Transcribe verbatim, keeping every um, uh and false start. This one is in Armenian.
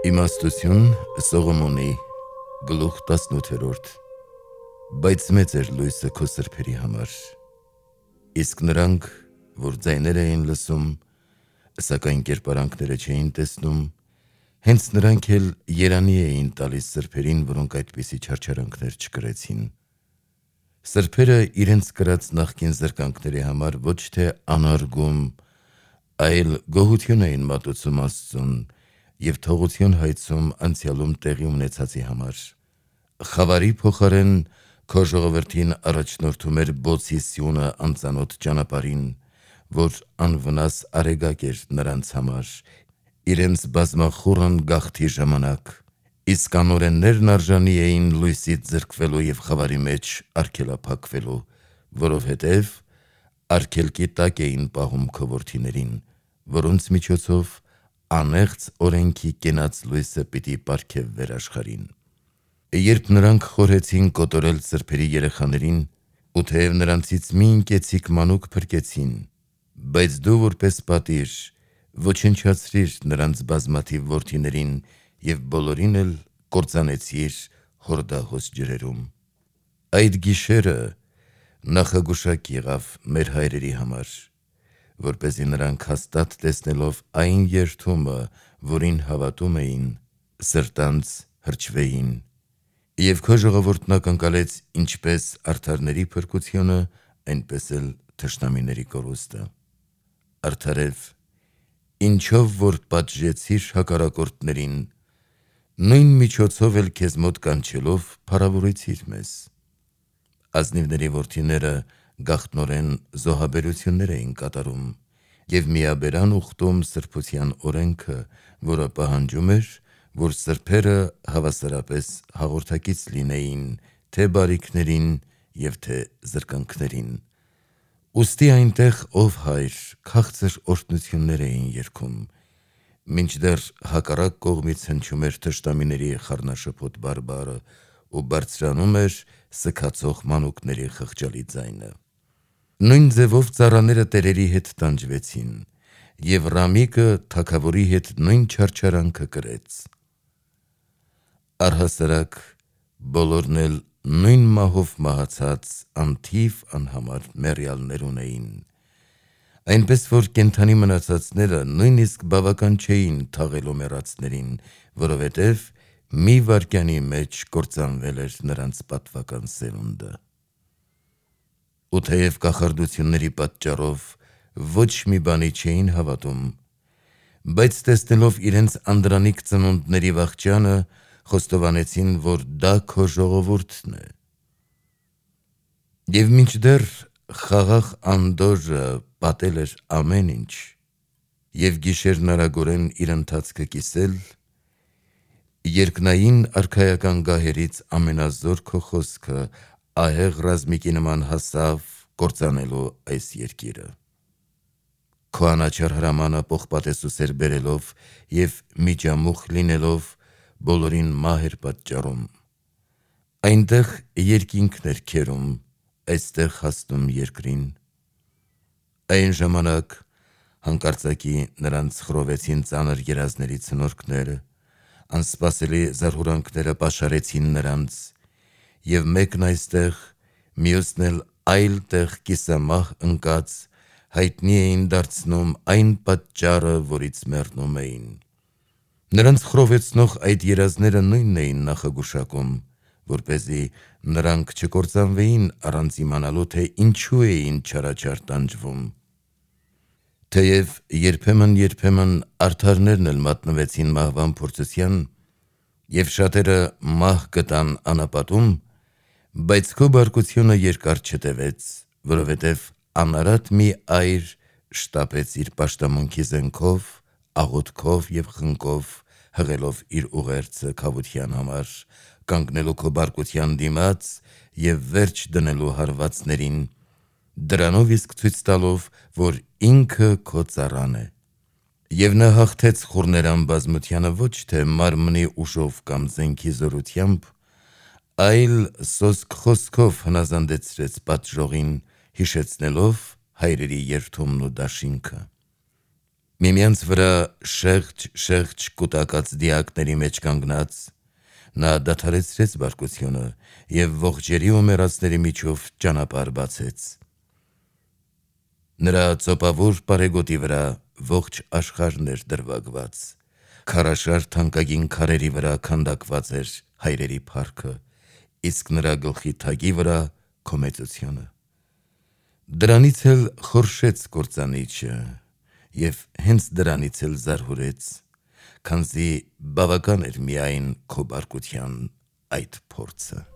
Իմաստություն Սողոմոնի գլուխ տասնութերորդ Բայց մեծ էր լույսը քո սրբերի համար, իսկ նրանք, որ ձայներ էին լսում, սակայն կերպարանքները չէին տեսնում, հենց նրանք էլ երանի էին տալիս սրբերին, որոնք այդպիսի չարչարանքներ չկրեցին։ Սրբերը իրենց կրած նախկին զրկանքների համար ոչ թե անարգում, այլ գոհություն էին մատուցում Աստծուն և թողություն հայցում անցյալում տեղի ունեցածի համար։ Խավարի փոխարեն քո ժողովրդին առաջնորդում էր բոցի սյունը անծանոթ ճանապարհին, որ անվնաս արեգակ էր նրանց համար, իրենց բազմախուռն գաղթի ժամանակ, իսկ անօրեններն արժանի էին լույսից զրկվելու և խավարի մեջ արգելափակվելու, որովհետև արգելքի տակ էին պահում քո որդիներին, որոնց միջոցով անեղծ օրենքի կենաց լույսը պիտի պարգևվեր աշխարհին։ Երբ նրանք խորհեցին կոտորել սրբերի երեխաներին, ու թեև նրանցից մի ընկեցիկ մանուկ փրկեցին, բայց դու որպես պատիժ ոչնչացրիր նրանց բազմաթիվ որդիներին և բոլորին էլ կործանեցիր Հորդահոս ջրերում։ Այդ գիշերը նախագուշակ եղավ մեր հայրերի համար, որպեսզի նրանք հաստատ տեսնելով այն երդումը, որին հավատում էին, սրտանց հրճվեին, և քո ժողովուրդն ակնկալեց ինչպես արդարների փրկությունը, այնպես էլ թշնամիների կորուստը։ Արդարև, ինչով որ պատժեցիր հակառակորդներին, նույն միջոցով էլ քեզ մոտ կանչելով փառավորեցիր մեզ։ Ազնիվների որդիները գաղտնորեն զոհաբերություններ էին կատարում և միաբերան ուխտում սրբության օրենքը, որը պահանջում էր, որ սրբերը հավասարապես հաղորդակից լինեին թե բարիքներին և թե զրկանքներին։ Ուստի այնտեղ, ով հայր, քաղցր օրհնություններ էին երգում, մինչդեռ հակառակ կողմից հնչում էր թշնամիների խառնաշփոթ բարբառը ու բարձրանում էր սգացող մանուկների խղճալի ձայնը։ Նույն ձևով ծառաները տերերի հետ տանջվեցին, և Ռամիկը թագավորի հետ նույն չարչարանքը կրեց։ Առհասարակ բոլորն էլ նույն մահով մահացած անթիվ անհամար մեռյալներ ունեին, այնպես որ կենդանի մնացածները նույնիսկ բավական չէին թաղելու մեռածներին, որովհետև մի վայրկյանի մեջ կործանվել էր նրանց պատվական սերունդը։ Ու թեև կախարդությունների պատճառով ոչ մի բանի չէին հավատում, բայց տեսնելով իրենց անդրանիկ ծնունդների վախճանը, խոստովանեցին, որ դա քո ժողովուրդն է։ Եվ մինչդեռ խաղաղ անդորրը պատել էր ամեն ինչ, և գիշերն արագորեն իր ընթացքը կիսել, երկնային արքայական գահերից ամենազոր քո խոսքը ահեղ ռազմիկի նման հասավ կործանելու այս երկիրը։ Քո անաչառ հրամանը պողպատեսուսեր բերելով և միջամուխ լինելով բոլորին մահ էր պատճառում։ Այնտեղ երկինքն էր քերում, այստեղ հասնում երկրին։ Այն ժամանակ հանկարծակի նրանց խռովեցին ծանր երազների ցնորքները, անսպասելի զարհուրանքները պաշարեցին նրանց, և մեկն այստեղ, մյուսն էլ այլ տեղ կիսամահ ընկած, հայտնի էին դարձնում այն պատճառը, որից մեռնում էին։ Նրանց խռովեցնող այդ երազները նույնն էին նախագուշակում, որպեսզի նրանք չկործանվեին առանց իմանալու, թե ինչու էին չարաչար տանջվում։ Թեև երբեմն-երբեմն արդարներն էլ մատնվեցին մահվան փորձության, և շատերը մահ գտան անապատում, բայց քո բարկությունը երկար չտևեց, որովհետև անարատ մի այր շտապեց իր պաշտամունքի զենքով, աղոթքով և խնկով, հղելով իր ուղերձը քավության համար, կանգնելու քո բարկության դիմաց և վերջ դնելու հարվածներին, դրանով իսկ ցույց տալով, որ ինքը քո ծառան է։ Եվ նա հաղթեց խուռներան բազմությանը ոչ թե մարմնի ուժով կամ զենքի զորությամբ, այլ սոսկ խոսքով հնազանդեցրեց պատժողին, հիշեցնելով հայրերի երդումն ու դաշինքը։ Միմյանց վրա շեղջ-շեղջ կուտակած դիակների մեջ կանգնած, նա դադարեցրեց բարկությունը և ողջերի ու մեռածների միջով ճանապարհ բացեց։ Նրա ծոպավոր պարեգոտի վրա ողջ աշխարհն էր դրվագված, քարաշար թանկագին քարերի վրա քանդակված էր հայրերի փառքը, իսկ նրա գլխի թագի վրա քո մեծությունը։ Դրանից էլ խորշեց կործանիչը և հենց դրանից էլ զարհուրեց, քանզի բավական էր միայն քո բարկության այդ փորձը։